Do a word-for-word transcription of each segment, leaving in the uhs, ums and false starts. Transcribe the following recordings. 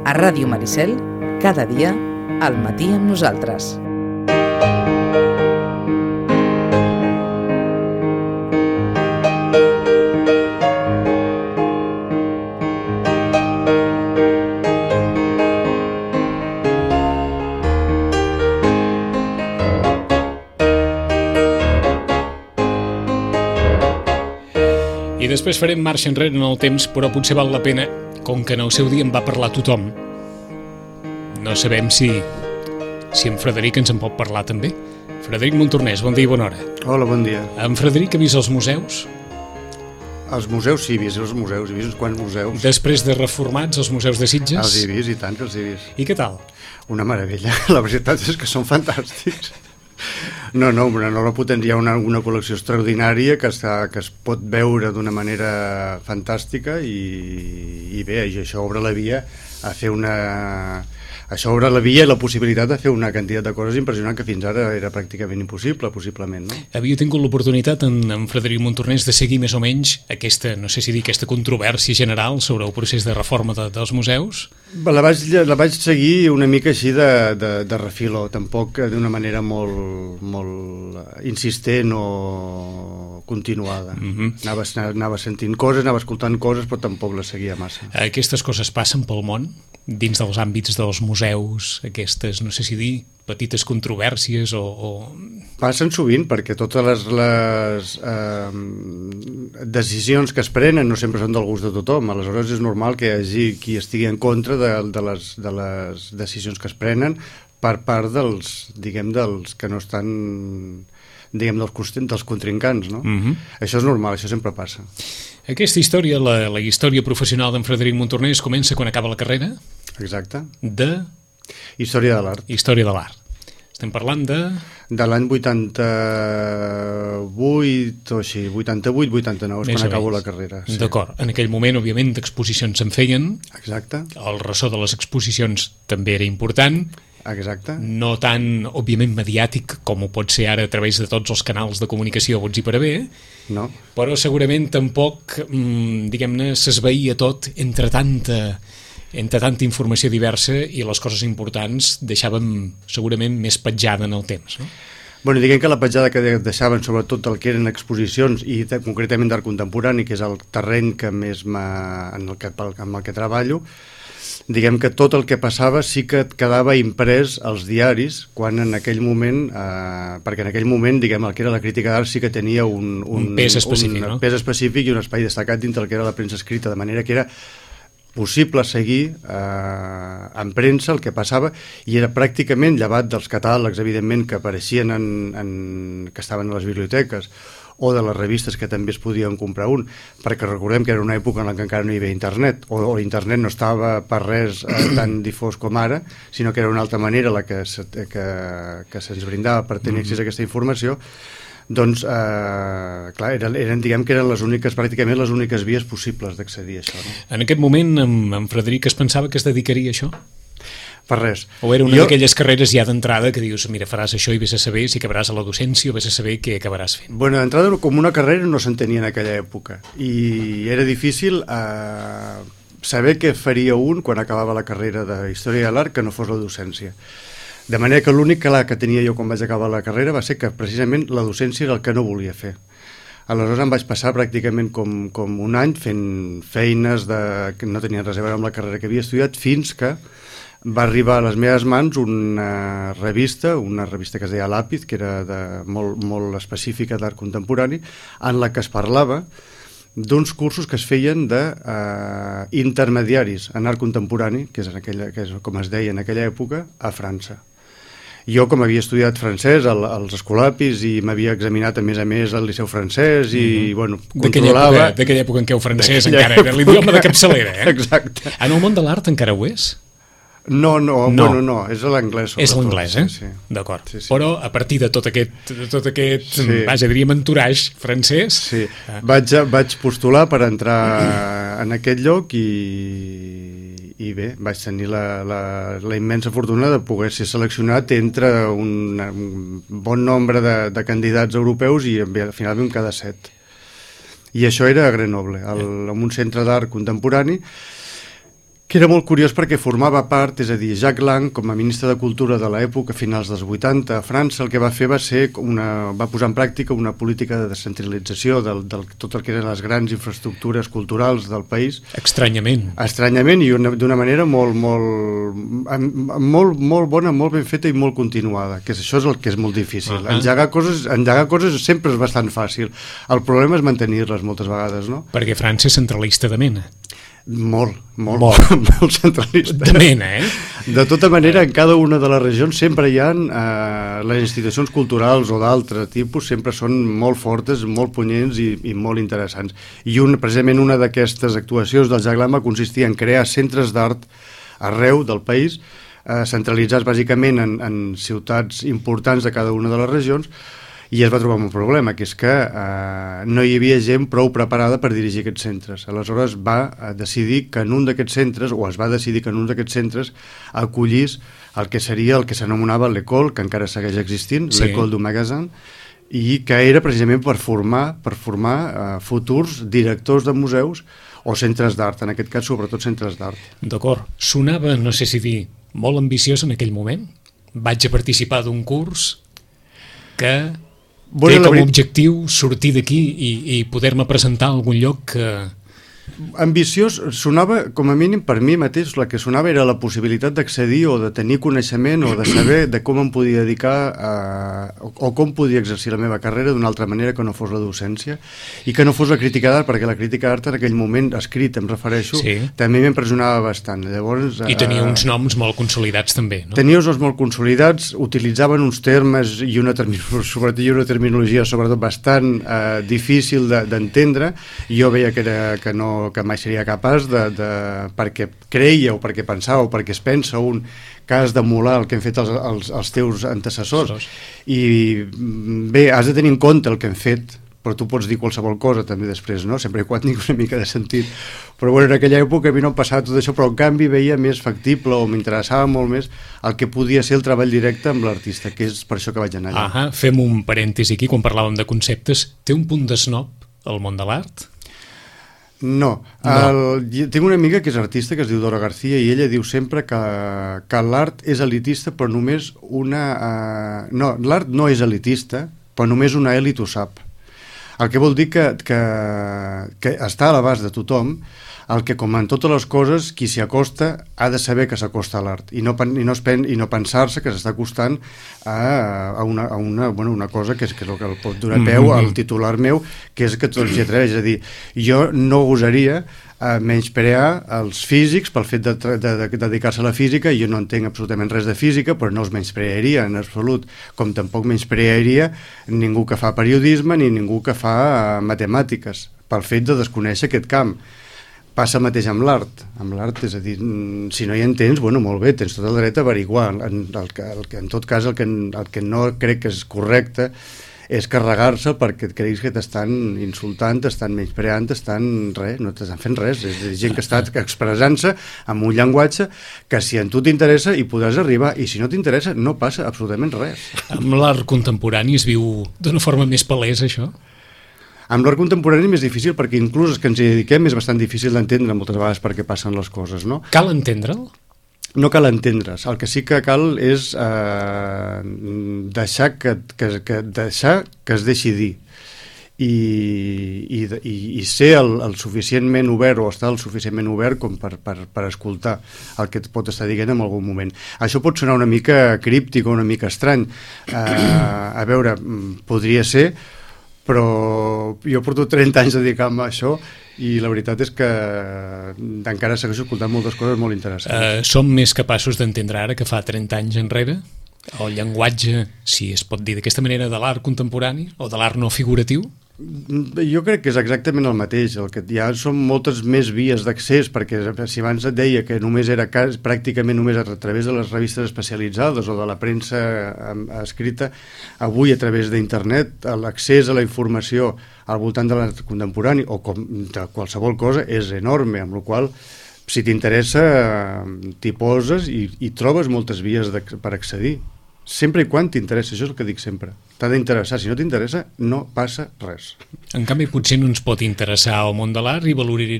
A Ràdio Maricel, cada dia, al matí amb nosaltres. I després farem marxa enrere en el temps, però potser val la pena, com que en el seu dia en va parlar tothom. No sabem si, si en Frederic ens en pot parlar també. Frederic Montornès, bon dia i bona hora. Hola, bon dia. En Frederic ha vist els museus? Els museus sí, he vist els museus, he vist uns quants museus. Després de reformats, els museus de Sitges? Els he vist, i tant que els he vist. I què tal? Una meravella, la veritat és que són fantàstics. No, no, una nova potència, una, una col·lecció extraordinària que, està, que es pot veure d'una manera fantàstica i, i bé, i això obre la via a fer una... Això obre la via i la possibilitat de fer una quantitat de coses impressionant que fins ara era pràcticament impossible, possiblement, no? Havia tingut l'oportunitat en, en Frederic Montornès de seguir més o menys aquesta, no sé si dir, aquesta controvèrsia general sobre el procés de reforma de, dels museus? La vaig, la vaig seguir una mica així de, de, de refiló, tampoc d'una manera molt, molt insistent o continuada. Mm-hmm. anava, anava sentint coses, anava escoltant coses, però tampoc les seguia massa. Aquestes coses passen pel món? Dins dels àmbits dels museus, aquestes, no sé si dir, petites controvèrsies o... o... Passen sovint, perquè totes les, les eh, decisions que es prenen no sempre són del gust de tothom. Aleshores és normal que hi hagi qui estigui en contra de, de, les, de les decisions que es prenen per part dels, diguem, dels que no estan, diguem, dels, dels contrincants, no? Mm-hmm. Això és normal, això sempre passa. Aquesta història, la, la història professional d'en Frederic Montornès, comença quan acaba la carrera? Exacte. De? Història de l'art. Història de l'art. Estem parlant de... De l'any vuitanta-vuit o així, vuitanta-vuit vuitanta-nou, és quan acabo la carrera. Sí. D'acord. En aquell moment, òbviament, exposicions se'n feien. Exacte. El ressò de les exposicions també era important. Exacte. No tan, òbviament, mediàtic com ho pot ser ara a través de tots els canals de comunicació bons i per a bé, no. Però segurament tampoc, diguem-ne, s'esveïa tot entre tanta... entre tanta informació diversa i les coses importants deixàvem segurament més petjada en el temps, no? Bueno, diguem que la petjada que deixaven sobretot el que eren exposicions i concretament d'art contemporani, que és el terreny que més en el que, amb el que treballo, diguem que tot el que passava sí que quedava imprès als diaris, quan en aquell moment, eh, perquè en aquell moment, diguem, el que era la crítica d'art sí que tenia un, un, un pes específic, un no? pes específic i un espai destacat dintre el que era la premsa escrita, de manera que era possible seguir eh, en premsa el que passava, i era pràcticament, llevat dels catàlegs, evidentment, que apareixien en, en, que estaven a les biblioteques, o de les revistes que també es podien comprar un, perquè recordem que era una època en la que encara no hi havia internet, o, o internet no estava per res eh, tan difós com ara, sinó que era una altra manera la que, se, que, que se'ns brindava per tenir accés a aquesta informació. Doncs, eh, clar, eren, eren, diguem que eren les úniques, pràcticament les úniques vies possibles d'accedir a això, no? En aquest moment, en, en Frederic es pensava que es dedicaria a això? Per res. O era una jo... d'aquelles carreres ja d'entrada que dius, mira, faràs això i vés a saber si acabaràs a la docència o vés a saber què acabaràs fent? Bueno, d'entrada, com una carrera no s'entenia en aquella època, i era difícil eh, saber què faria un quan acabava la carrera de Història de l'Art que no fos la docència. De manera que l'únic clar que tenia jo quan vaig acabar la carrera va ser que precisament la docència era el que no volia fer. Aleshores em vaig passar pràcticament com, com un any fent feines de, que no tenien res a veure amb la carrera que havia estudiat, fins que va arribar a les meves mans una revista, una revista que es deia Làpid, que era de, molt, molt específica d'art contemporani, en la que es parlava d'uns cursos que es feien d'intermediaris eh, en art contemporani, que és, en aquella, que és com es deia en aquella època, a França. Jo, com havia estudiat francès al, als escolapis i m'havia examinat a més a més al Liceu francès i, mm-hmm. bueno, controlava... D'aquella època en què el francès encara era l'idioma de capçalera, eh? Exacte. En el món de l'art encara ho és? No, no, no, bueno, no, és l'anglès. És l'anglès, eh? Sí, sí. D'acord. Sí, sí. Però a partir de tot aquest, de tot aquest sí. vaja, diríem, entourage francès... Sí, ah. vaig, vaig postular per entrar en aquest lloc i... i bé, vaig tenir la, la, la immensa fortuna de poder ser seleccionat entre un, un bon nombre de, de candidats europeus i al final vam quedar set. I això era a Grenoble, al, en un centre d'art contemporani que era molt curiós perquè formava part, és a dir, Jacques Lang, com a ministre de Cultura de l'època, a finals dels vuitanta, a França, el que va fer va ser una, va posar en pràctica una política de descentralització del, del tot el que eren les grans infraestructures culturals del país. Estranyament. Estranyament i d'una manera molt, molt, molt, molt bona, molt ben feta i molt continuada, que és, això és el que és molt difícil. Uh -huh. Engegar coses, engegar coses sempre és bastant fàcil. El problema és mantenir-les moltes vegades, no? Perquè França és centralista de mena. Molt, molt, molt, molt centralista. De mena, eh? De tota manera, en cada una de les regions sempre hi ha eh, les institucions culturals o d'altre tipus, sempre són molt fortes, molt punyents i, i molt interessants. I un, precisament una d'aquestes actuacions del Jacques Lang va consistir en crear centres d'art arreu del país, eh, centralitzats bàsicament en, en ciutats importants de cada una de les regions, i es va trobar un problema, que és que eh, no hi havia gent prou preparada per dirigir aquests centres. Aleshores va decidir que en un d'aquests centres, o es va decidir que en un d'aquests centres acollís el que seria el que s'anomenava l'École, que encara segueix existint, sí. l'École du Magasin, i que era precisament per formar, per formar eh, futurs directors de museus o centres d'art, en aquest cas sobretot centres d'art. D'acord. Sonava, no sé si dir, molt ambiciós en aquell moment. Vaig a participar d'un curs que... Bueno, té com a objectiu sortir d'aquí i, i poder-me presentar a algun lloc que... Ambiciós sonava, com a mínim per mi mateix, la que sonava era la possibilitat d'accedir o de tenir coneixement o de saber de com em podia dedicar a, o com podia exercir la meva carrera d'una altra manera que no fos la docència i que no fos la crítica d'art, perquè la crítica d'art en aquell moment, escrit em refereixo, sí. també m'impressionava bastant. Llavors, I tenia eh, uns noms molt consolidats també, no? Tenia uns noms molt consolidats, utilitzaven uns termes i una, sobretot, i una terminologia sobretot bastant eh, difícil d'entendre, i jo veia que, era, que no que mai seria capaç de, de, perquè creia o perquè pensava o perquè es pensa un que has d'emular el que han fet els, els, els teus antecessors. I bé, has de tenir en compte el que han fet, però tu pots dir qualsevol cosa també després, no? Sempre i quan tingui una mica de sentit. Però bueno, en aquella època a mi no em passava tot això, però en canvi veia més factible o m'interessava molt més el que podia ser el treball directe amb l'artista, que és per això que vaig anar allà. Ahà, fem un parèntesi aquí, quan parlàvem de conceptes. Té un punt de snob el món de l'art? No, el, no. Tinc una amiga que és artista que es diu Dora García i ella diu sempre que, que l'art és elitista però només una... Uh, no, l'art no és elitista però només una elit ho sap, el que vol dir que, que, que està a l'abast de tothom, el que com en totes les coses qui s'hi acosta ha de saber que s'acosta a l'art i no, i no, pen, i no pensar-se que s'està acostant a, a, una, a una, bueno, una cosa que és, que és el que el pot donar peu al titular meu, que és que tots hi atreveix. És a dir, jo no gosaria a menysprear els físics pel fet de, de, de, de dedicar-se a la física. Jo no entenc absolutament res de física, però no els menysprearia en absolut, com tampoc menysprearia ningú que fa periodisme ni ningú que fa matemàtiques pel fet de desconèixer aquest camp. Passa mateix amb l'art, amb l'art, és a dir, si no hi entens, bueno, molt bé, tens tot el dret a averiguar. En, el que, el que, en tot cas, el que, el que no crec que és correcte és carregar-se perquè et creguis que t'estan insultant, t'estan menyspreant, t'estan res, no t'estan fent res. És a dir, gent que està expressant-se amb un llenguatge que si a tu t'interessa hi podràs arribar, i si no t'interessa no passa absolutament res. Amb l'art contemporani es viu d'una forma més palesa, això? Amb l'art contemporani és més difícil perquè inclús els que ens hi dediquem és bastant difícil d'entendre moltes vegades per què passen les coses, no? Cal entendre'l? No cal entendre's, el que sí que cal és eh, deixar, que, que, que, deixar que es deixi dir i, i, i, i ser el, el suficientment obert o estar el suficientment obert com per, per, per escoltar el que et pot estar dient en algun moment. Això pot sonar una mica críptic o una mica estrany, eh, a veure, podria ser, però jo porto trenta anys dedicant-me a això i la veritat és que encara segueixo escoltant moltes coses molt interessants. Uh, som més capaços d'entendre ara que fa trenta anys enrere el llenguatge, si es pot dir d'aquesta manera, de l'art contemporani o de l'art no figuratiu? Jo crec que és exactament el mateix, el que hi ha són moltes més vies d'accés, perquè si abans et deia que només era cas, pràcticament només a través de les revistes especialitzades o de la premsa escrita, avui a través d'internet l'accés a la informació al voltant de l'art contemporani o com de qualsevol cosa és enorme, amb la qual si t'interessa t'hi poses i, i trobes moltes vies de, per accedir. Sempre i quan t'interessa, això és el que dic sempre. T'ha d'interessar, si no t'interessa, no passa res. En canvi, potser no ens pot interessar el món de l'art i, valorir,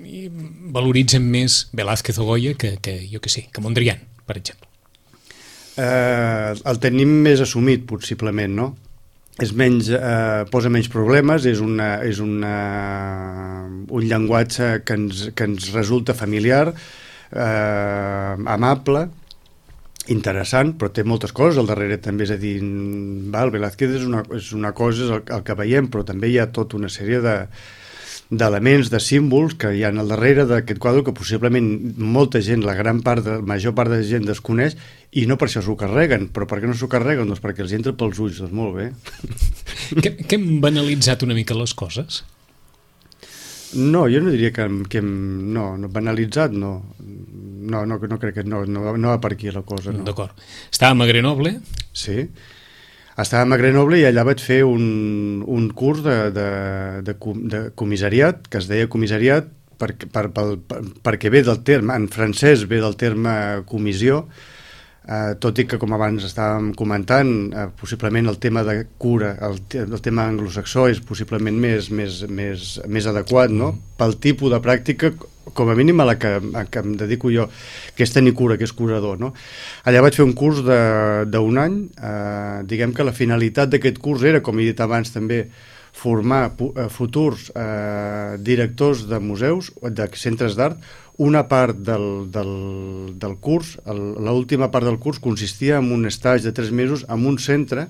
i valoritzen més Velázquez o Goya que, que jo que sé, que Mondrian, per exemple? Eh, el tenim més assumit, possiblement, no? És menys, eh, posa menys problemes, és, una, és una, un llenguatge que ens, que ens resulta familiar, eh, amable, interessant, però té moltes coses al darrere també, és a dir, va, el Velázquez és una, és una cosa, és el, el que veiem, però també hi ha tota una sèrie de d'elements, de símbols que hi ha al darrere d'aquest quadre que possiblement molta gent, la gran part, de, la major part de gent desconeix i no per això s'ho carreguen. Però per què no s'ho carreguen? Doncs perquè els entra pels ulls, doncs molt bé. Que, que hem banalitzat una mica les coses? No, jo no diria que, que hem, no, no, banalitzat no. No, no, no crec que no, no, no va per aquí la cosa. No. D'acord. Estàvem a Grenoble. Sí. Estàvem a Grenoble i allà vaig fer un, un curs de, de, de, de comissariat, que es deia comissariat per, per, per, per, perquè ve del terme, en francès ve del terme comissió, eh, tot i que, com abans estàvem comentant, eh, possiblement el tema de cura, el, el tema anglosaxó és possiblement més, més, més, més adequat, no? Pel tipus de pràctica, com a mínim a la que, a que em dedico jo, que és tenir cura, que és curador, no? Allà vaig fer un curs d'un any, eh, diguem que la finalitat d'aquest curs era, com he dit abans també, formar futurs eh, directors de museus, de centres d'art. Una part del, del, del curs, l'última part del curs, consistia en un estatge de tres mesos en un centre,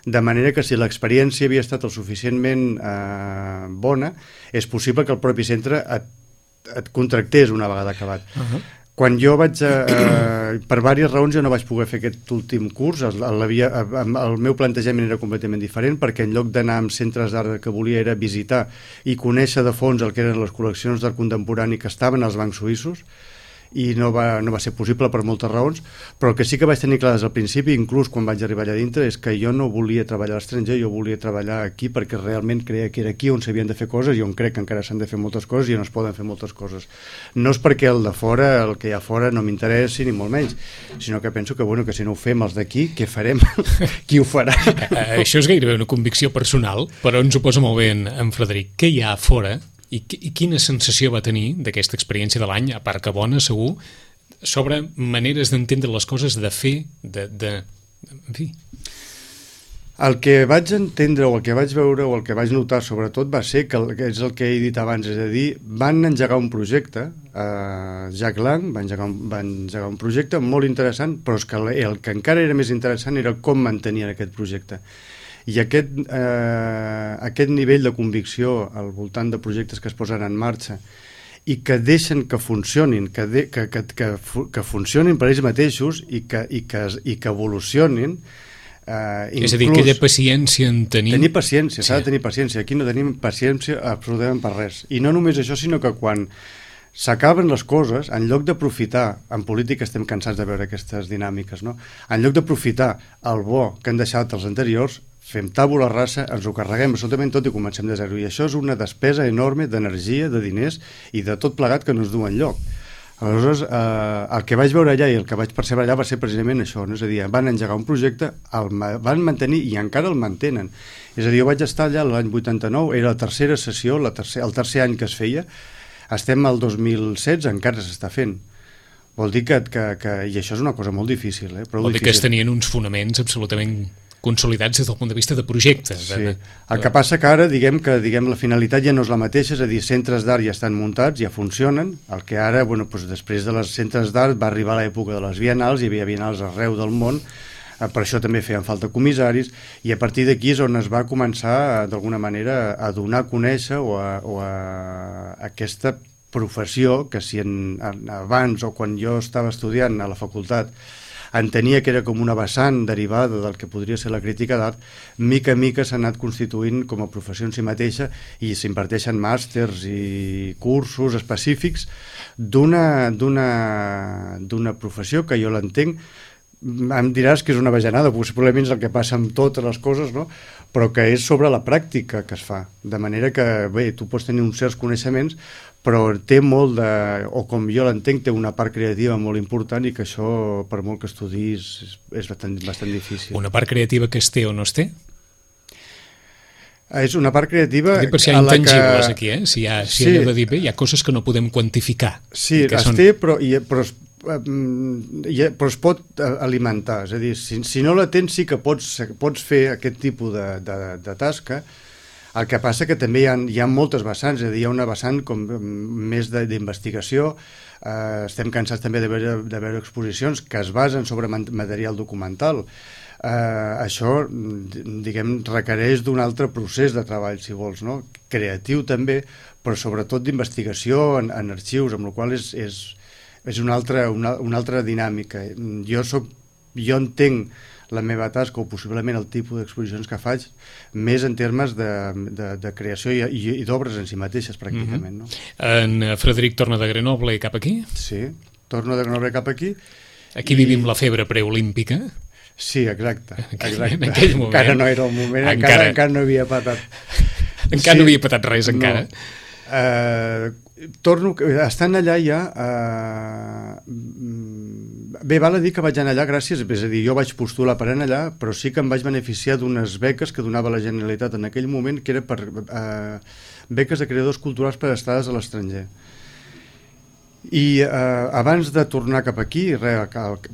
de manera que si l'experiència havia estat el suficientment eh, bona, és possible que el propi centre et et contractés una vegada acabat. Uh-huh. Quan jo vaig, eh, per diverses raons jo no vaig poder fer aquest últim curs, el, el, el meu plantejament era completament diferent, perquè en lloc d'anar amb centres d'art que volia era visitar i conèixer de fons el que eren les col·leccions d'art contemporani que estaven als bancs suïssos, i no va, no va ser possible per moltes raons, però el que sí que vaig tenir clar des del principi, inclús quan vaig arribar allà dintre, és que jo no volia treballar a l'estranger, jo volia treballar aquí perquè realment creia que era aquí on s'havien de fer coses i on crec que encara s'han de fer moltes coses i on es poden fer moltes coses. No és perquè el de fora, el que hi ha fora no m'interessi ni molt menys, sinó que penso que, bueno, que si no ho fem els d'aquí, què farem? Qui ho farà? Això és gairebé una convicció personal, però ens ho posa molt bé en, en Frederic. Què hi ha a fora? I, I quina sensació va tenir d'aquesta experiència de l'any, a part que bona, segur, sobre maneres d'entendre les coses, de fer, de... de... en fi. El que vaig entendre, o el que vaig veure, o el que vaig notar, sobretot, va ser que, el, que és el que he dit abans, és a dir, van engegar un projecte, eh, Jack Lang va engegar, un, va engegar un projecte molt interessant, però és que el, el que encara era més interessant era com mantenien aquest projecte. I aquest, eh, aquest nivell de convicció al voltant de projectes que es posen en marxa i que deixen que funcionin, que, de, que, que, que, que funcionin per ells mateixos i que, i que, i que evolucionin. Eh, és a dir, aquella paciència en tenir... Tenir paciència, s'ha sí. de tenir paciència. Aquí no tenim paciència absolutament per res. I no només això, sinó que quan s'acaben les coses, en lloc d'aprofitar, en política estem cansats de veure aquestes dinàmiques, no? En lloc d'aprofitar el bo que han deixat els anteriors, fem tàbula rasa, ens ho carreguem absolutament tot i comencem de zero. I això és una despesa enorme d'energia, de diners i de tot plegat que no es du enlloc. Aleshores, eh, el que vaig veure allà i el que vaig percebre allà va ser precisament això, no? És a dir, van engegar un projecte, el van mantenir i encara el mantenen. És a dir, jo vaig estar allà l'any vuitanta-nou, era la tercera sessió, la tercer, el tercer any que es feia, estem al dos mil setze, encara s'està fent. Vol dir que, que, que... I això és una cosa molt difícil, eh? Prou Vol dir difícil. que es tenien uns fonaments absolutament consolidats des del punt de vista de projecte. Sí. De... El que passa que ara, diguem que diguem, la finalitat ja no és la mateixa, és a dir, centres d'art ja estan muntats, ja funcionen, el que ara, bueno, doncs després de les centres d'art va arribar l'època de les bienals, hi havia bienals arreu del món, eh, per això també feien falta comissaris, i a partir d'aquí és on es va començar, d'alguna manera, a donar a conèixer o a, o a aquesta professió que si en, en, abans o quan jo estava estudiant a la facultat entenia que era com una vessant derivada del que podria ser la crítica d'art, mica a mica s'ha anat constituint com a professió en si mateixa i s'imparteixen màsters i cursos específics d'una d'una d'una professió que jo l'entenc, em diràs que és una bajanada, possiblement és el que passa amb totes les coses, no? Però que és sobre la pràctica que es fa, de manera que, bé, tu pots tenir uns certs coneixements, però té molt de, o com jo l'entenc, té una part creativa molt important i que això, per molt que estudis, és, és bastant, bastant difícil. Una part creativa que es té o no es té? És una part creativa... Per si hi ha a la intangibles que... aquí, eh? Si hi ha, si Sí. hi ha de dir bé, hi ha coses que no podem quantificar. Sí, que es són... té, però, i, però, es, mm, i, però es pot eh, alimentar. És a dir, si, si no la tens sí que pots, pots fer aquest tipus de, de, de tasca. El que passa que també hi ha, hi ha moltes vessants, és a dir, hi ha una vessant com més d'investigació. Eh, estem cansats també de veure, de veure exposicions que es basen sobre material documental. Uh, això, diguem, requereix d'un altre procés de treball, si vols, no? Creatiu també, però sobretot d'investigació en, en arxius, amb la qual és, és, és una, altra, una, una altra dinàmica. Jo, soc, jo entenc la meva tasca, o possiblement el tipus d'exposicions que faig, més en termes de, de, de creació i, i, i d'obres en si mateixes, pràcticament. Mm-hmm. No? En Frederic torna de Grenoble cap aquí? Sí, torno de Grenoble cap aquí. Aquí i... vivim la febre preolímpica. Sí, exacte. exacte. En aquell moment. Encara no era el moment, encara, encara, encara no havia patat. Encara sí, no havia patat res, encara. No. Uh, torno, estant allà ja... Uh, bé, val a dir que vaig anar allà gràcies, és a dir, jo vaig postular per anar allà, però sí que em vaig beneficiar d'unes beques que donava la Generalitat en aquell moment, que era per uh, beques de creadors culturals per estades a l'estranger. I eh, abans de tornar cap aquí, re,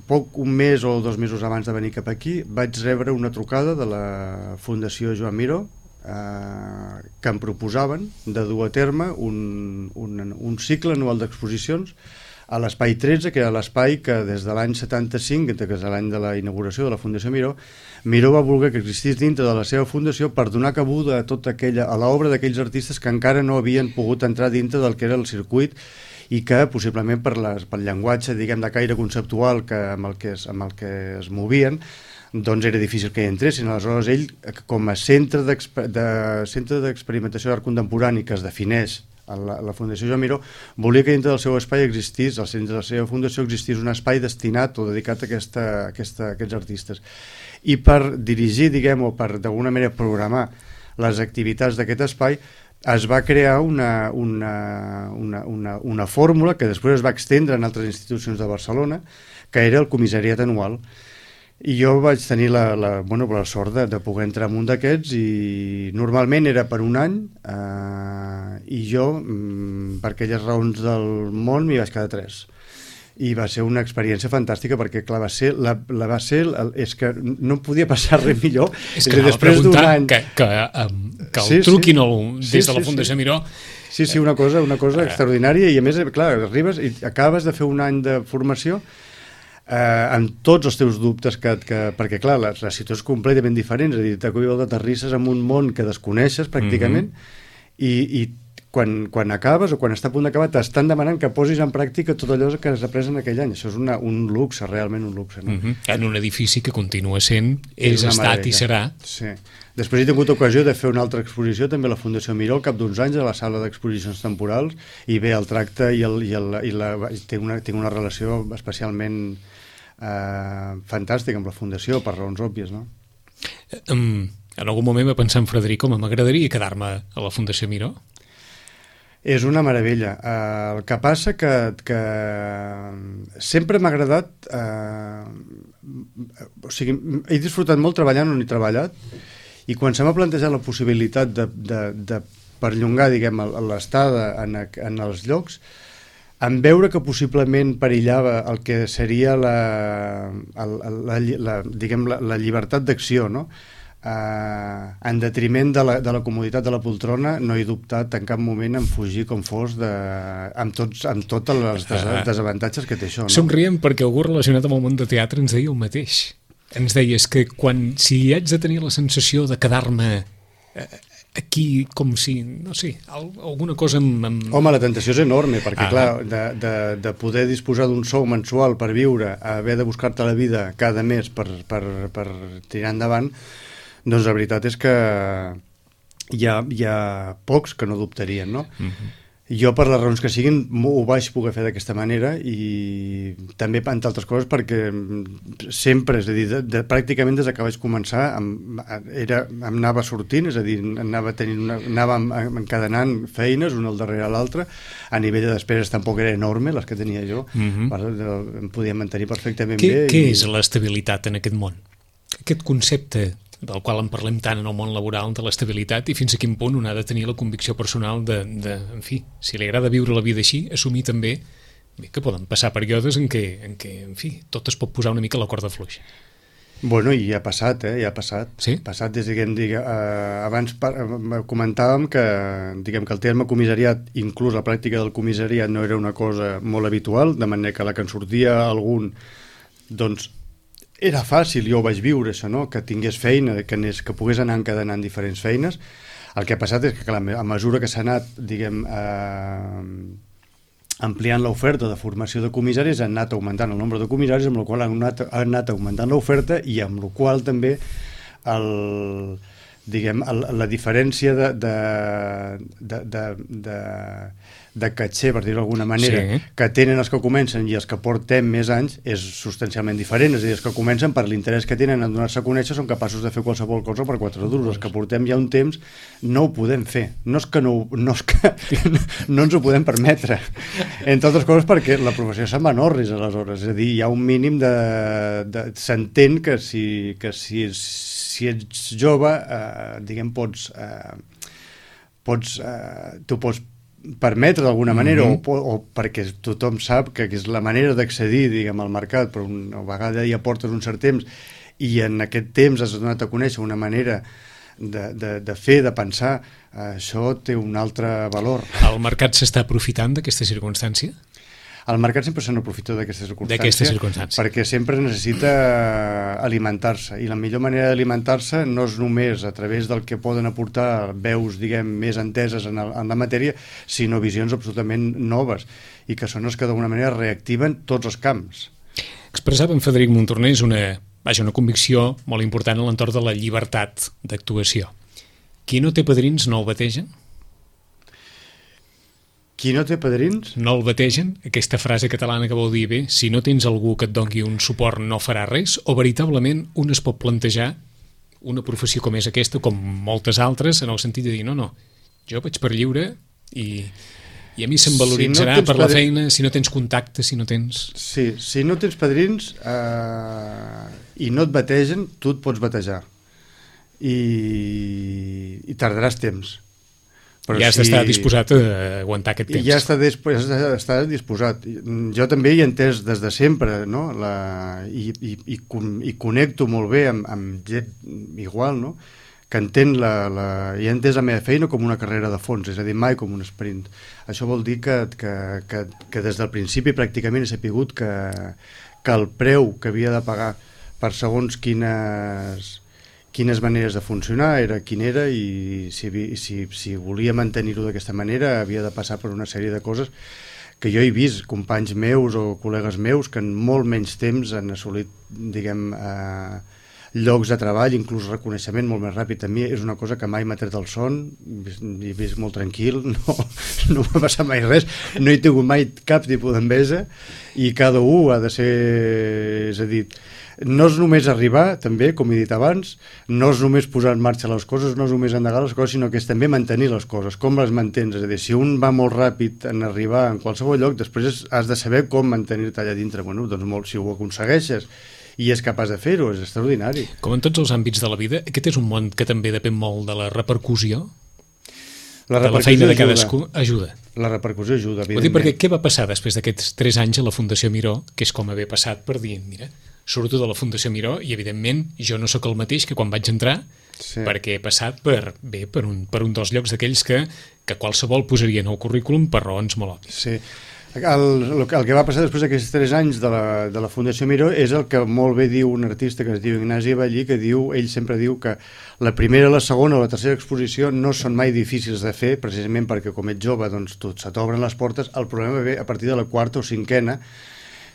poc, un mes o dos mesos abans de venir cap aquí, vaig rebre una trucada de la Fundació Joan Miró eh, que em proposaven de dur a terme un, un, un cicle anual d'exposicions a l'Espai tretze, que era l'espai que des de l'any setanta-cinc, que és l'any de la inauguració de la Fundació Miró, Miró va voler que existís dintre de la seva fundació per donar cabuda a tota aquella, a l'obra d'aquells artistes que encara no havien pogut entrar dintre del que era el circuit i que possiblement per les, pel llenguatge, diguem, de caire conceptual que, amb, el que es, amb el que es movien, doncs era difícil que hi entressin. Aleshores ell, com a centre d'experimentació d'art contemporani que es defineix a la, a la Fundació Joan Miró, volia que dintre del seu espai existís, al centre de la seva fundació existís un espai destinat o dedicat a, aquesta, a, aquesta, a aquests artistes. I per dirigir, diguem, o per d'alguna manera programar les activitats d'aquest espai, es va crear una, una, una, una, una fórmula que després es va extendre en altres institucions de Barcelona, que era el comissariat anual. I jo vaig tenir la, la, bueno, la sort de, de poder entrar en un d'aquests i normalment era per un any eh, i jo, per aquelles raons del món, m'hi vaig quedar tres. I va ser una experiència fantàstica perquè, clar, va ser, la, la va ser és que no podia passar res millor. És que després d'un any... Que, que, um, que el sí, truquin sí. El, des sí, de la Fundació sí. Miró... Sí, sí, una cosa, una cosa eh, extraordinària i a més, clar, arribes i acabes de fer un any de formació eh, amb tots els teus dubtes que, que, perquè, clar, la, la situació és completament diferent, és a dir, t'aterrisses en un món que desconeixes pràcticament mm-hmm. i, i Quan, quan acabes o quan està a punt d'acabar t'estan demanant que posis en pràctica tot allò que has après en aquell any. Això és una, un luxe, realment un luxe. No? Uh-huh. En un edifici que continua sent, és, és estat i serà. Sí. Després he tingut ocasió de fer una altra exposició, també a la Fundació Miró, al cap d'uns anys, a la sala d'exposicions temporals, i bé, el tracte i, el, i, el, i la, tinc, una, tinc una relació especialment eh, fantàstica amb la Fundació, per raons òbvies, no? Um, en algun moment va pensar en Frederic, home, m'agradaria quedar-me a la Fundació Miró? És una meravella. Uh, el que passa que, que sempre m'ha agradat... Uh, o sigui, he disfrutat molt treballant on he treballat i quan se m'ha plantejat la possibilitat de, de, de perllongar, diguem, l'estada en, en els llocs, en veure que possiblement perillava el que seria la, la, la, la, diguem, la, la llibertat d'acció, no? Uh, en detriment de la, de la comoditat de la poltrona, no he dubtat en cap moment en fugir com fos de, amb, tots, amb tots els des, desavantatges que té això, no? Somriem perquè algú relacionat amb el món de teatre ens deia el mateix. Ens deies que quan, si haig de tenir la sensació de quedar-me eh, aquí com si, no sé, alguna cosa amb... amb... Home, la tentació és enorme, perquè ah. clar, de, de, de poder disposar d'un sou mensual per viure, haver de buscar-te la vida cada mes per, per, per tirar endavant, doncs la veritat és que hi ha, hi ha pocs que no dubtarien, no? Uh-huh. Jo, per les raons que siguin, ho vaig poder fer d'aquesta manera i també, entre altres coses, perquè sempre, és a dir, de, de, pràcticament des que vaig començar em, era, em anava sortint, és a dir, anava, tenint una, anava encadenant feines una al darrere l'altra, a nivell de despeses tampoc era enorme, les que tenia jo, uh-huh. per, em podia mantenir perfectament què, bé. Què i... és l'estabilitat en aquest món? Aquest concepte del qual en parlem tant en el món laboral, de l'estabilitat, i fins a quin punt un ha de tenir la convicció personal de, de en fi, si li agrada viure la vida així, assumir també que poden passar períodes en què, en què, en fi, tot es pot posar una mica a la corda fluixa. Bueno, i ja ha passat, eh? Ja ha passat. Sí? Ha passat des que, diguem, eh, abans par comentàvem que, diguem, que el terme comissariat, inclús la pràctica del comissariat, no era una cosa molt habitual, de manera que la que en sortia algun, doncs, era fàcil, jo ho vaig viure, això, no? Que tingués feina, que, anés, que pogués anar encadenant diferents feines. El que ha passat és que, clar, a mesura que s'ha anat, diguem, eh, ampliant l'oferta de formació de comissaris, han anat augmentant el nombre de comissaris, amb la qual han anat, han anat augmentant l'oferta i amb la qual també el, diguem, el, la diferència de, de, de, de, de, de caché, per dir-ho d'alguna manera, sí, que tenen els que comencen i els que portem més anys és substancialment diferent. És a dir, els que comencen per l'interès que tenen en donar-se a conèixer són capaços de fer qualsevol cosa per quatre duros. Els que portem ja un temps no ho podem fer. No és que no, no, és que, no ens ho podem permetre. Entre altres coses perquè la professió se'n va en orris aleshores. És a dir, hi ha un mínim de... de s'entén que si, que si, si ets jove, eh, diguem, pots... Eh, pots eh, tu pots permetre d'alguna manera, mm-hmm. o, o perquè tothom sap que és la manera d'accedir, diguem, al mercat, però una vegada ja portes un cert temps i en aquest temps has donat a conèixer una manera de, de, de fer, de pensar, això té un altre valor. El mercat s'està aprofitant d'aquesta circumstància? El mercat sempre se n'aprofita d'aquesta circumstància, circumstància perquè sempre necessita alimentar-se, i la millor manera d'alimentar-se no és només a través del que poden aportar veus, diguem, més enteses en, el, en la matèria, sinó visions absolutament noves, i que són els que d'alguna manera reactiven tots els camps. Expressava en Frederic Montornès una, vaja, una convicció molt important a l'entorn de la llibertat d'actuació. Qui no té padrins no el bategen? Qui no té padrins? No el bategen? Aquesta frase catalana que vol dir, bé, si no tens algú que et doni un suport no farà res, o veritablement un es pot plantejar una professió com és aquesta, com moltes altres, en el sentit de dir, no, no, jo vaig per lliure i, i a mi se'm valoritzarà si no per la padrins... feina, si no tens contacte, si no tens... Sí, si no tens padrins eh, i no et bategen, tu et pots batejar. I, i tardaràs temps. Però ja has si... d'estar disposat a aguantar aquest temps. Ja està, disp... està disposat. Jo també hi he entès des de sempre, no? La... I, i, i, i connecto molt bé amb, amb gent igual, no? Que entén la, la... I he entès la meva feina com una carrera de fons, és a dir, mai com un sprint. Això vol dir que, que, que, que des del principi pràcticament he sapigut que, que el preu que havia de pagar per segons quines... quines maneres de funcionar era quin era, i si, si, si volia mantenir-ho d'aquesta manera havia de passar per una sèrie de coses que jo he vist companys meus o col·legues meus que en molt menys temps han assolit, diguem, eh, llocs de treball, inclús reconeixement molt més ràpid. A mi és una cosa que mai m'ha tret el son, he vist molt tranquil, no, no m'ha passat mai res, no he tingut mai cap tipus d'enveja, i cada un ha de ser, és a dir, no és només arribar, també, com he dit abans, no és només posar en marxa les coses, no és només endegar les coses, sinó que és també mantenir les coses, com les mantens. És a dir, si un va molt ràpid en arribar en qualsevol lloc, després has de saber com mantenir-te allà dintre. Bueno, doncs molt, si ho aconsegueixes i és capaç de fer-ho, és extraordinari. Com en tots els àmbits de la vida, aquest és un món que també depèn molt de la repercussió, la de la feina de cadascú, ajuda. La repercussió ajuda, evidentment. Vull dir, perquè què va passar després d'aquests tres anys a la Fundació Miró, que és com haver passat per dir, mira, surto de la Fundació Miró i, evidentment, jo no sóc el mateix que quan vaig entrar, sí, perquè he passat per, bé, per, un, per un dels llocs d'aquells que, que qualsevol posaria en el currículum per raons molt òbvies. Sí. El, el, el que va passar després d'aquests tres anys de la, de la Fundació Miró és el que molt bé diu un artista que es diu Ignasi Ballí, que diu, ell sempre diu que la primera, la segona o la tercera exposició no són mai difícils de fer, precisament perquè com ets jove doncs tot se t'obren les portes. El problema ve a partir de la quarta o cinquena,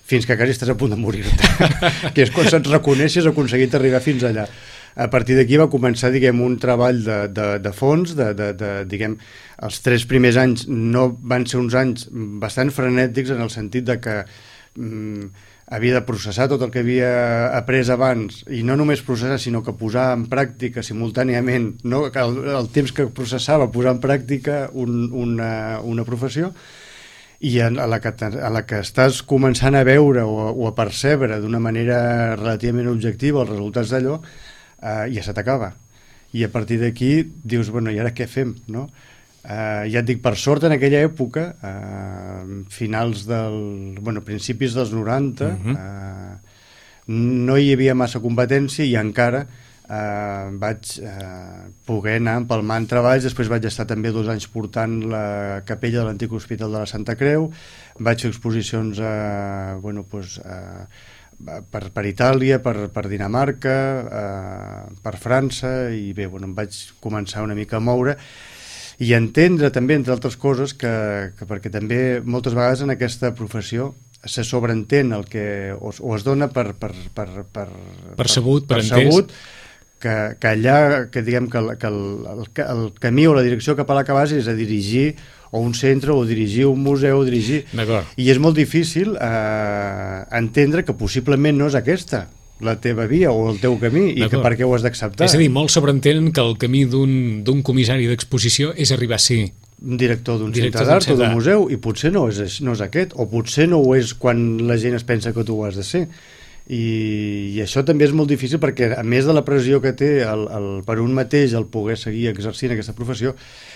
fins que quasi estàs a punt de morir-te, que és quan se't reconeixes aconseguit arribar fins allà. A partir d'aquí va començar, diguem, un treball de, de, de fons, de, de, de, diguem, els tres primers anys no van ser uns anys bastant frenètics en el sentit de que mm, havia de processar tot el que havia après abans, i no només processar, sinó que posar en pràctica simultàniament, no? Que el, el temps que processava posar en pràctica un, una, una professió, i a la, que, a la que estàs començant a veure o a, o a percebre d'una manera relativament objectiva els resultats d'allò, uh, ja se t'acaba. I a partir d'aquí dius, bueno, i ara què fem, no? Uh, ja et dic, per sort en aquella època, uh, finals del... bueno, principis dels noranta, uh-huh. uh, no hi havia massa competència i encara uh, vaig uh, poder anar empalmant treballs. Després vaig estar també dos anys portant la capella de l'antic hospital de la Santa Creu, vaig fer exposicions uh, bueno, pues, uh, per, per Itàlia, per, per Dinamarca, uh, per França, i bé, bueno, em vaig començar una mica a moure i entendre també, entre altres coses, que, que perquè també moltes vegades en aquesta professió se sobreentén el que o, o es dona per per, per, per, per sabut, per, per sabut, que, que allà, que diguem que, el, que el, el, el camí o la direcció cap a la que vas és a dirigir o un centre, o dirigir un museu, o dirigir... I és molt difícil eh, entendre que possiblement no és aquesta la teva via o el teu camí i que per què ho has d'acceptar. És a dir, molts sobreentenen que el camí d'un comissari d'exposició és arribar a ser un director d'un centre d'art o d'un museu, i potser no és, no és aquest, o potser no ho és quan la gent es pensa que tu ho has de ser. I, i això també és molt difícil perquè, a més de la pressió que té el, el, per un mateix el poder seguir exercint aquesta professió,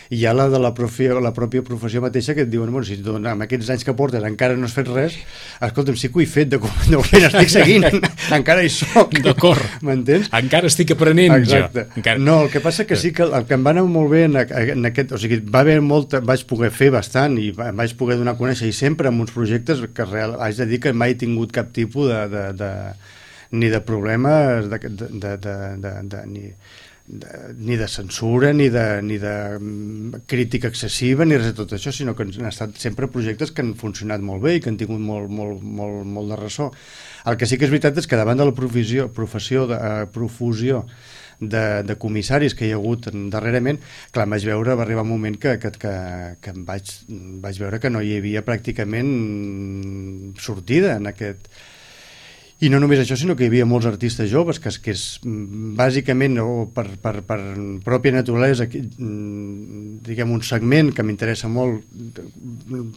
hi ha la de la, profi, la pròpia professió mateixa que et diuen, bueno, si tu, amb aquests anys que portes encara no has fet res, escolta'm, sí que ho he fet, de, de moment estic seguint, encara hi soc. D'acord. M'entens? Encara estic aprenent. Exacte. Jo. Encara... No, el que passa que sí que el que em va anar molt bé en, en aquest, o sigui, va haver molta, vaig poder fer bastant i vaig poder donar a conèixer, i sempre amb uns projectes que real, haig de dir que mai he tingut cap tipus de, de, de ni de problemes de, de, de, de, de, de ni De, ni de censura, ni de, ni de crítica excessiva, ni res de tot això, sinó que han estat sempre projectes que han funcionat molt bé i que han tingut molt, molt, molt, molt de ressò. El que sí que és veritat és que davant de la professió, professió de, uh, profusió de, de comissaris que hi ha hagut darrerament, clar, vaig veure, va arribar un moment que, que, que, que em vaig, vaig veure que no hi havia pràcticament sortida en aquest... I no només això, sinó que hi havia molts artistes joves que, que és bàsicament o per, per, per pròpia naturalesa, diguem, un segment que m'interessa molt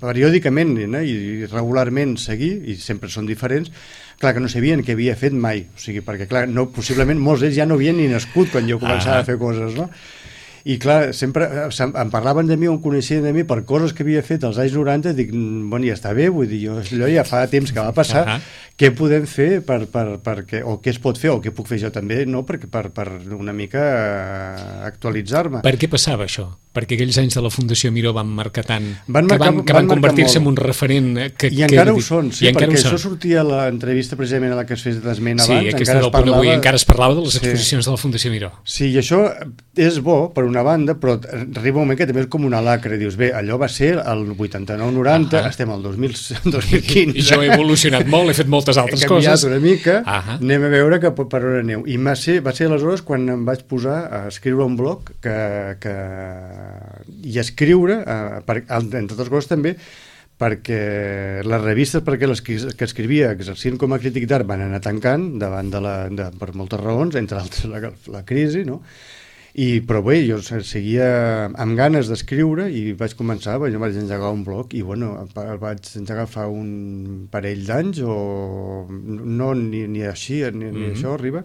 periòdicament, no? I regularment seguir, i sempre són diferents, clar que no sabien què havia fet mai, o sigui, perquè clar, no, possiblement molts d'ells ja no havien ni nascut quan jo començava ah. a fer coses, no? I clar, sempre em parlaven de mi o em coneixien de mi per coses que havia fet als anys noranta, i dic, bueno, ja està bé, vull dir, jo, allò ja fa temps que va passar, uh -huh. què podem fer per, per, per que, o què es pot fer, o què puc fer jo també, no? per, per, per una mica actualitzar-me. Per què passava això? Perquè aquells anys de la Fundació Miró van marcar tant, van marcar, que van, que van, van convertir-se en un referent que, i encara que, ho són, sí, perquè això sortia a l'entrevista precisament a la que es fes d'esment sí, abans, aquesta del punt avui, encara es parlava de les exposicions sí. de la Fundació Miró. Sí, i això és bo per una banda, però arriba un moment que també és com una lacra, dius, bé, allò va ser el vuitanta-nou noranta, uh -huh. estem al dos mil quinze. I jo he evolucionat molt, he fet moltes altres he coses. He canviat una mica, uh -huh. anem a veure que per on aneu. I va ser, va ser aleshores quan em vaig posar a escriure un blog que, que... i a escriure, eh, per, entre altres coses també, perquè les revistes perquè les que escrivia exercint com a crític d'art van anar tancant davant de la, de, per moltes raons, entre altres la, la crisi, no? I, però bé, jo seguia amb ganes d'escriure i vaig començar, jo vaig engegar un blog i bueno, el vaig engegar fa un parell d'anys o no ni, ni així, ni, ni mm-hmm. això arriba.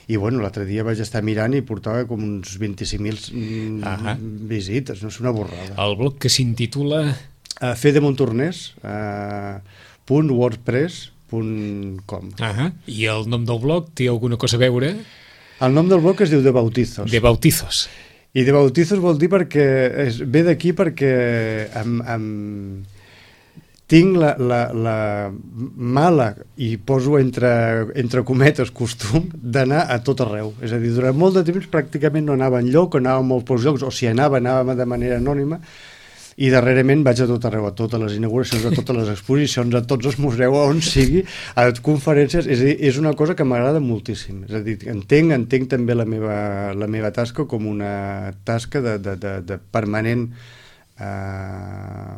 I bueno, l'altre dia vaig estar mirant i portava com uns vint-i-cinc mil uh-huh. visites, no és una borrada. El blog que s'intitula... Uh, fedemontornès uh, punt wordpress punt com. Uh-huh. I el nom del blog té alguna cosa a veure? El nom del blog es diu De Bautizos. De Bautizos. I De Bautizos vol dir perquè és, ve d'aquí perquè amb, amb, tinc la, la, la mala, i poso entre, entre cometes costum, d'anar a tot arreu. És a dir, durant molt de temps pràcticament no anava enlloc, anava a molts pocs llocs, o si anava, anava de manera anònima, i darrerament vaig a tot arreu, a totes les inauguracions, a totes les exposicions, a tots els museus, on sigui, a conferències. És a dir, és una cosa que m'agrada moltíssim. És a dir, entenc, entenc també la meva, la meva tasca com una tasca de, de, de, de permanent eh,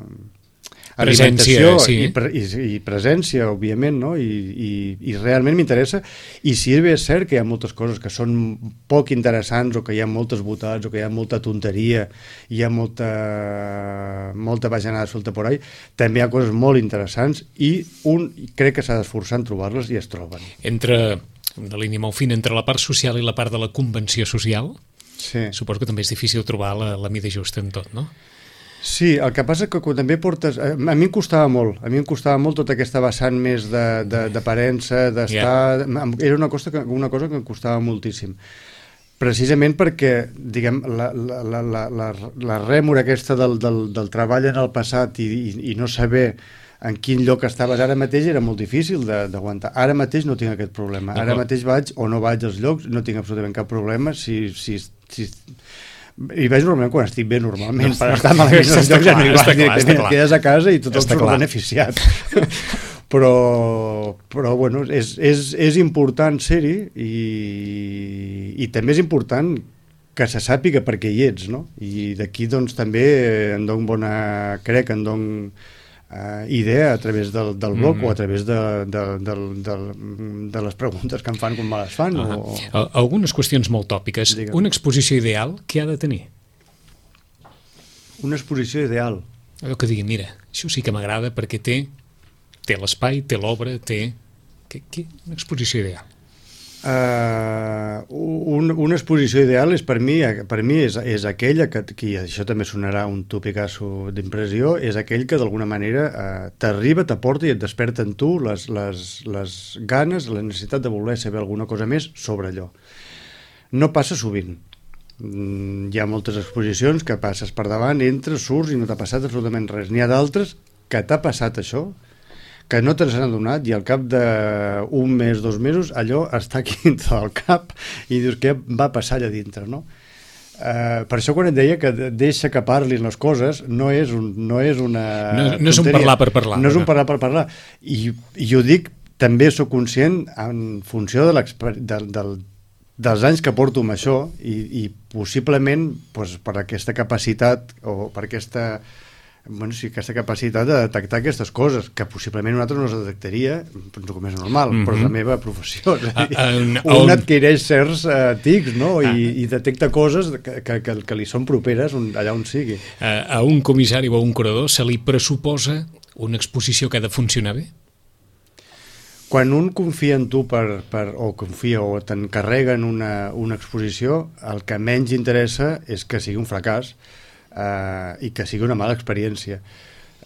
presència, sí. i, pre, i, i presència, òbviament, no? I, i, i realment m'interessa, i si bé és cert que hi ha moltes coses que són poc interessants, o que hi ha moltes botats, o que hi ha molta tonteria, hi ha molta molta bajanada suelta por ahí, també hi ha coses molt interessants, i un crec que s'ha d'esforçar en trobar-les, i es troben. Entre una línia molt fina entre la part social i la part de la convenció social. Sí. Suposo que també és difícil trobar la, la mida justa en tot, no? Sí, el que passa que quan també portes... A mi em costava molt, a mi em costava molt tota aquesta vessant més d'aparença, de, d'estar... Yeah. Era una cosa, que, una cosa que em costava moltíssim. Precisament perquè, diguem, la, la, la, la, la, la rèmora aquesta del, del, del treball en el passat i, i, i no saber en quin lloc estaves ara mateix era molt difícil d'aguantar. Ara mateix no tinc aquest problema. Ara mateix vaig o no vaig als llocs, no tinc absolutament cap problema. Si, si, si... I vaig normalment quan estic bé, normalment. No, per estar malament als llocs ja no hi vaig, directament et quedes a casa i tothom surt beneficiat. Però, però bueno, és, és, és important ser-hi i, i també és important que se sàpiga per què hi ets, no? I d'aquí doncs també en dono bona, crec, en dono Uh, idea a través del, del blog mm. o a través de, de, de, de, de les preguntes que em fan com me les fan. Uh -huh. o... Algunes qüestions molt tòpiques. Digue'm. Una exposició ideal, què ha de tenir? Una exposició ideal? Allò que digui, mira, això sí que m'agrada perquè té, té l'espai, té l'obra, té... Què, què? Una exposició ideal. Uh, un, una exposició ideal és per mi, per mi és, és aquella que, que això també sonarà un topicasso d'impressió, és aquell que d'alguna manera uh, t'arriba, t'aporta i et desperta en tu les, les, les ganes, la necessitat de voler saber alguna cosa més sobre allò. No passa sovint. Mm, hi ha moltes exposicions que passes per davant, entres, surts i no t'ha passat absolutament res. N'hi ha d'altres que t'ha passat això, que no te n'has adonat i al cap d'un mes, dos mesos, allò està aquí dintre del cap i dius què va passar allà dintre, no? Uh, per això quan et deia que deixa que parlin les coses no és, un, no és una no, no és un parlar per parlar. No és un parlar per parlar. I, i jo dic, també sóc conscient en funció de del, del, dels anys que porto amb això i, i possiblement doncs, per aquesta capacitat o per aquesta... Bueno, sí, aquesta capacitat de detectar aquestes coses, que possiblement un altre no es detectaria, com és normal, mm -hmm. però és la meva professió. És a dir, uh, uh, un adquireix certs uh, tics, no? I, uh, i detecta coses que, que, que, que li són properes on, allà on sigui. Uh, a un comissari o a un curador se li pressuposa una exposició que ha de funcionar bé? Quan un confia en tu per, per, o confia o t'encarrega en una, una exposició, el que menys interessa és que sigui un fracàs, Uh, i que sigui una mala experiència,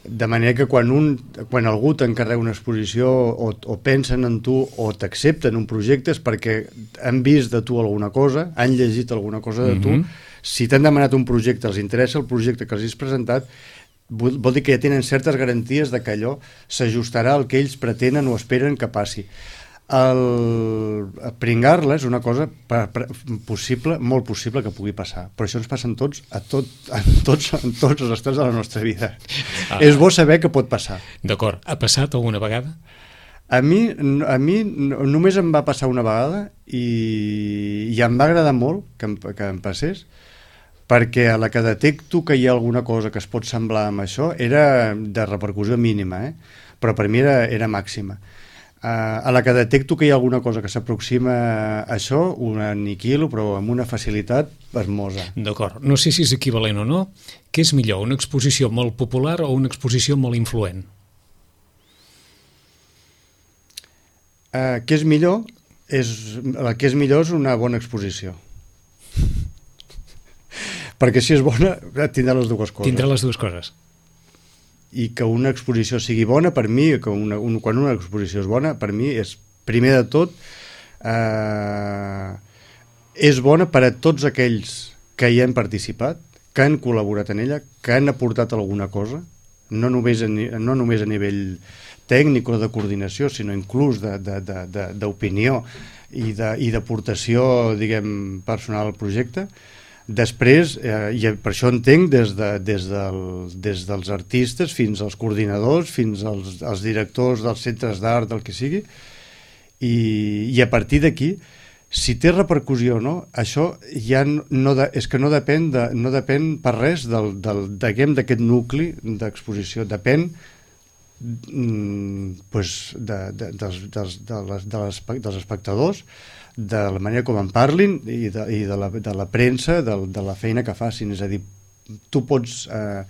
de manera que quan, un, quan algú t'encarrega una exposició o, o pensen en tu o t'accepten un projecte és perquè han vist de tu alguna cosa, han llegit alguna cosa de tu. Mm-hmm. Si t'han demanat un projecte, els interessa el projecte que els has presentat, vol, vol dir que ja tenen certes garanties de que allò s'ajustarà al que ells pretenen o esperen que passi. El pringar-la és una cosa per, per, possible, molt possible que pugui passar, però això ens passa en tots, a tot, en tots, en tots els estats de la nostra vida. Ah. És bo saber que pot passar. D'acord. Ha passat alguna vegada? A mi, a mi només em va passar una vegada i, i em va agradar molt que em, que em passés, perquè a la que detecto que hi ha alguna cosa que es pot semblar amb això era de repercussió mínima, eh? Però per mi era, era màxima. Uh, a la que detecto que hi ha alguna cosa que s'aproxima a això, un aniquilo, però amb una facilitat hermosa. D'acord. No sé si és equivalent o no. Què és millor, una exposició molt popular o una exposició molt influent? Uh, què és millor? És, el que és millor és una bona exposició. Perquè si és bona, tindrà les dues coses. Tindrà les dues coses. I que una exposició sigui bona, per mi, que una, un, quan una exposició és bona, per mi és, primer de tot, eh, és bona per a tots aquells que hi han participat, que han col·laborat en ella, que han aportat alguna cosa, no només a, no només a nivell tècnic o de coordinació, sinó inclús d'opinió i d'aportació, diguem, personal al projecte. Després, eh, i per això entenc des, de, des, del, des dels artistes fins als coordinadors, fins als, als directors dels centres d'art, del que sigui, i, i a partir d'aquí, si té repercussió o no, això ja no de, és que no depèn, de, no depèn per res del, del, d'aquest nucli d'exposició, depèn mm, pues, de, de, dels, dels, de les, de les, dels espectadors, de la manera com en parlin i de, i de, la, de la premsa, de, de la feina que facin. És a dir, tu pots eh,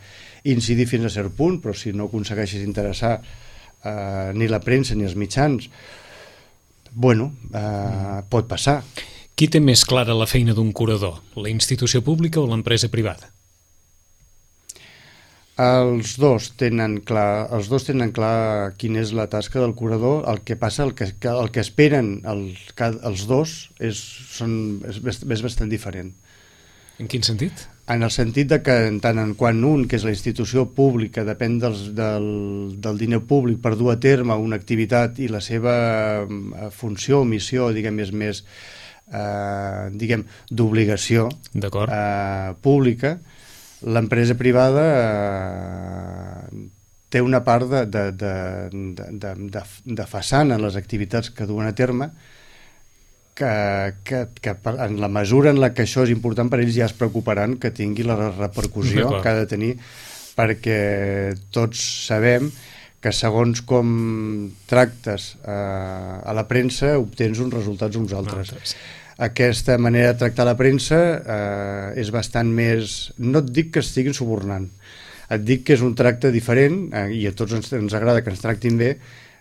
incidir fins a cert punt, però si no aconsegueixes interessar eh, ni la premsa ni els mitjans, Bueno, eh, pot passar. Qui té més clara la feina d'un curador? La institució pública o l'empresa privada? Els dos tenen clar, els dos tenen clar quina és la tasca del curador. El que passa, el que, el que esperen els, els dos és, són, és, és bastant diferent. En quin sentit? En el sentit de que en tant en quan un, que és la institució pública, depèn dels, del, del diner públic per dur a terme una activitat i la seva funció o missió, diguem, és més eh, diguem, d'obligació eh, pública, l'empresa privada eh, té una part de, de, de, de, de, de façana en les activitats que duen a terme que, que, que en la mesura en la que això és important per ells ja es preocuparan que tingui la repercussió que ha de tenir, perquè tots sabem que segons com tractes eh, a la premsa obtens uns resultats uns altres. No, aquesta manera de tractar la premsa eh, és bastant més... No et dic que estiguin subornant, et dic que és un tracte diferent eh, i a tots ens, ens agrada que ens tractin bé,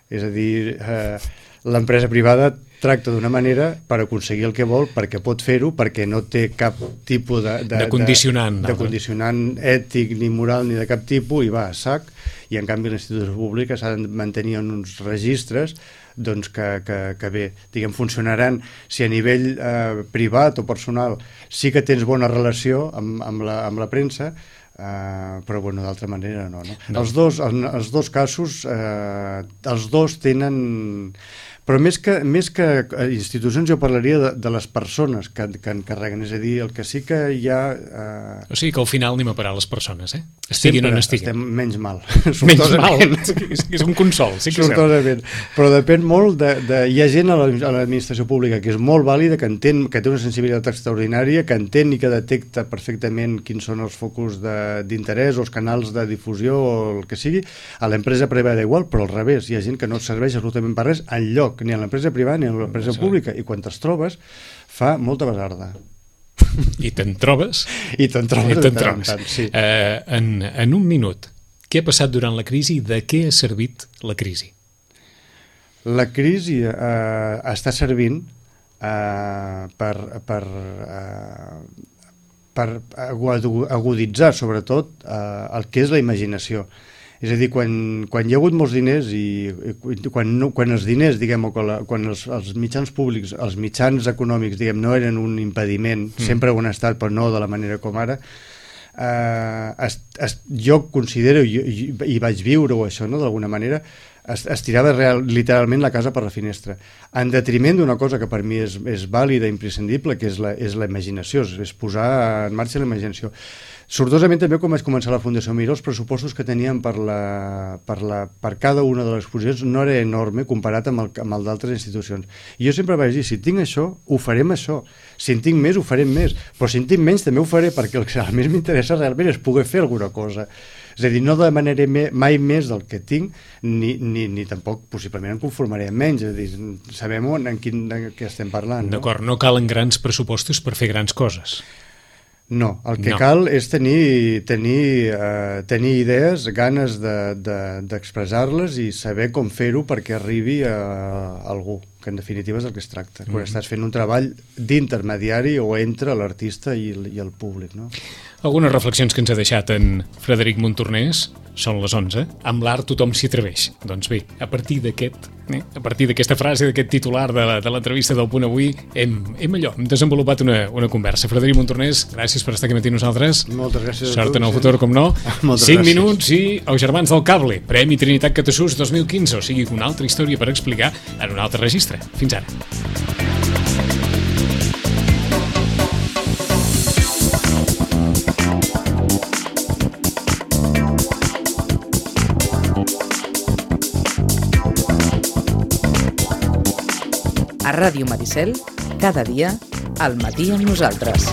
és a dir, eh, l'empresa privada tracta d'una manera per aconseguir el que vol, perquè pot fer-ho, perquè no té cap tipus de, de, de condicionant, de, de condicionant ètic ni moral ni de cap tipus i va a sac, i en canvi l'institució pública s'ha de mantenir en uns registres doncs que, que, que bé, diguem, funcionaran si a nivell eh, privat o personal sí que tens bona relació amb, amb, la, amb la premsa, eh, però bueno, d'altra manera no, no? no. Els, dos, els, els dos casos, eh, els dos tenen... Però més que, més que institucions jo parlaria de, de les persones que, que encarreguen, és a dir, el que sí que hi ha... Eh... O sigui que al final anem a parar les persones, eh? Estiguin Sempre o no estiguin. Estem menys mal. Menys mal, és, és un consol, sí que sortosament. Però depèn molt de, de... Hi ha gent a l'administració pública que és molt vàlida, que entén, que té una sensibilitat extraordinària, que entén i que detecta perfectament quins són els focus d'interès o els canals de difusió o el que sigui. A l'empresa privada igual, però al revés. Hi ha gent que no et serveix absolutament per res enlloc, ni a l'empresa privada ni a l'empresa sí. pública, i quan te'ls trobes fa molta basarda. I te'n trobes? I te'n trobes, I te'n trobes. Tant, sí. uh, en, en un minut, què ha passat durant la crisi i de què ha servit la crisi? La crisi uh, està servint uh, per, per, uh, per aguditzar sobretot uh, el que és la imaginació. És a dir, quan, quan hi ha hagut molts diners i, i quan, no, quan els diners, diguem, o quan, la, quan els, els mitjans públics, els mitjans econòmics, diguem, no eren un impediment, mm. sempre ho han estat, però no de la manera com ara, eh, es, es, jo considero, i, i, i vaig viure-ho això, no?, d'alguna manera, es, es tirava real, literalment la casa per la finestra, en detriment d'una cosa que per mi és, és vàlida, imprescindible, que és la, és la imaginació, és, és posar en marxa la imaginació. Sortosament també quan vaig començar la Fundació Miró, els pressupostos que teníem per, la, per, la, per cada una de les exposicions no era enorme comparat amb el, amb el d'altres institucions. I jo sempre vaig dir, si tinc això, ho farem això. Si en tinc més, ho farem més. Però si en tinc menys, també ho faré, perquè el que a més m'interessa realment és poder fer alguna cosa. És a dir, no demanaré mai més del que tinc, ni, ni, ni tampoc possiblement em conformaré amb menys. És a dir, sabem en quin de què estem parlant. No? D'acord, no calen grans pressupostos per fer grans coses. No, el que no. cal és tenir, tenir, uh, tenir idees, ganes d'expressar-les de, de, i saber com fer-ho perquè arribi a, a algú, que en definitiva és el que es tracta. Mm. Quan estàs fent un treball d'intermediari o entre l'artista i, i el públic, no? Algunes reflexions que ens ha deixat en Frederic Montornès són les onze. Amb l'art tothom s'hi atreveix. Doncs bé, a partir d'aquest, eh, a partir d'aquesta frase, d'aquest titular de, la, de l'entrevista del Punt Avui, hem, hem allò, hem desenvolupat una, una conversa. Frederic Montornès, gràcies per estar aquí matí nosaltres. Moltes gràcies. Sort en el futur, com no. Moltes Cinc gràcies. minuts i Els Germans del Cable, Premi Trinitat Catasús dos mil quinze, o sigui, una altra història per explicar en un altre registre. Fins ara. A Ràdio Maricel, cada dia, al matí amb nosaltres.